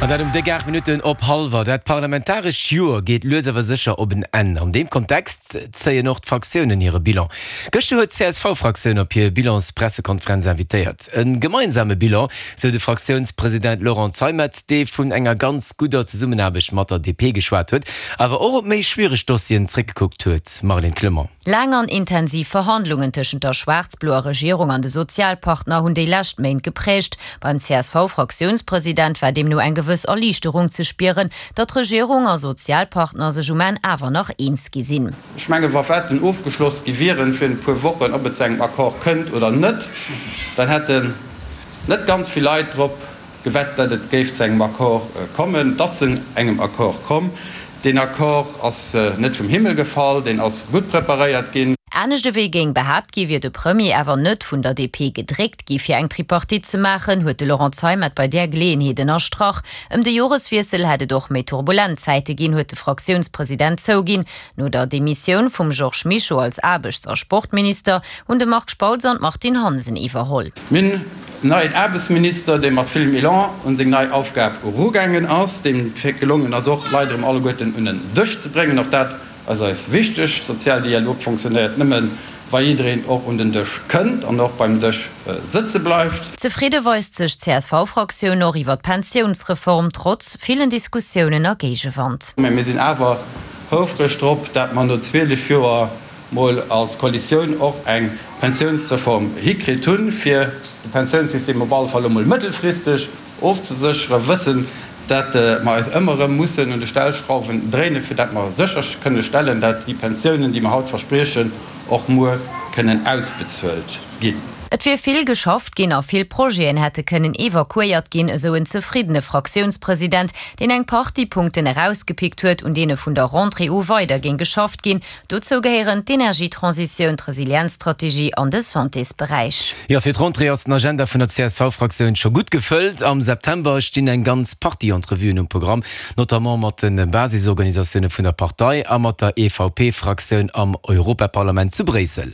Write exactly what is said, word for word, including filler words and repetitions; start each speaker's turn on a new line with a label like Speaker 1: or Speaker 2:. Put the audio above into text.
Speaker 1: An dat um déck aacht Minutten op hallwer. Dat parlamentarescht Joer geet lues awer sécher op en Enn. An deem Kontext zéien och d'Fraktiounen hire Bilan. Gëschter huet d'CSV-Fraktioun op hir Bilanspressekonferenz invitéiert. E gemeinsame Bilan, sou de Fraktiounspresident Laurent Zeimet, dee vun enger ganz gudder Zesummenaarbecht mat der DP geschwat huet, awer och op méi schwiereg Dossieren zréckgekuckt huet. Marlène Clement.
Speaker 2: Laang an intensiv Verhandlungen tëschent der schwaarz-bloer Regierung an de Sozialpartner hunn déi lescht Méint gepräägt. Beim CSV-Fraktiounspresident war deemno eng gewëss Erliichterung ze spieren, datt Regierung a Sozialpartner sech um Enn awer nach eens gi sinn.
Speaker 3: Ech menge wa Wetten ofgeschloss gi wieren virun e puer Wochen, ob et zu engem Accord kënnt oder net, dann hätten net ganz vill Leit drop gewett, datt et géif zu engem Accord kommen. Et ass zu engem Accord komm. Deen Accord ass net vum Himmel gefall, deen ass gutt preparéiert ginn.
Speaker 2: Anescht ewéi géing behaapt gi wier de Premier awer net vun der DP gedréckt gi fir eng Tripartite ze maachen, huet de Laurent Zeimet bei där Geleeënheet ënnerstrach. Ëm de Joreswiessel hätt et och méi turbulent Zäite ginn, huet de Fraktiounspresident zouginn. No der Demissioun vum Georges Mischo als Aarbechts a Sportminister hunn de Marc Spautz an d'Martine Hansen iwwerholl.
Speaker 3: Mir hunn en neien Aarbechtsminister, dee mat villem Elan un seng nei Aufgab erugaangen ass, deem et gelongen ass, och Leit erëm alleguerten un en Dësch ze bréngen. Och dat ass eis wichteg. Sozialdialog fonctionnéiert nëmmen, wa jiddereen och un den Dësch kënnt an och beim Dësch sëtze bleift.
Speaker 2: Zefridde weist sech d'CSV-Fraktioun och iwwer d'Pensiounsreform, trotz villen Diskussiounen a Géigewand.
Speaker 3: Mä mir sinn awer houfreg drop, dat mer no zwielef Joer mol als Koalitioun och eng Pensiounsreform hikritt hunn, fir de Pensiounssystem op alle Fall emol mëttelfristeg ofzesécheren, wëssend, dat mer eis ëmmer erëm mussen un de Stellschrauwen dréinen, fir dat mer sécher kënne stellen, dat déi Pensiounen, déi mer haut verspriechen, och muer kënnen ausbezuelt ginn.
Speaker 2: Et wier vill geschafft ginn a vill Projeten hätte kënnen evakuéiert ginn, esou en zefriddene Fraktiounspresident, deen eng Partie Punkten erausgepickt huet, un deene vun der Rentrée u weider géing geschafft ginn. Dozou gehéieren d'Energietransitioun, d'Resilienzstrategie an de Santésberäich.
Speaker 1: Jo, fir d'Rentrée ass den Agenda vun der CSV-Fraktioun scho gutt gefëllt. Am September stinn eng ganz Partie Entrevuen um Programm, notamment mat de Basisorganisatioune vun der Partei a mat der EVP-Fraktioun am Europaparlament zu Bréissel.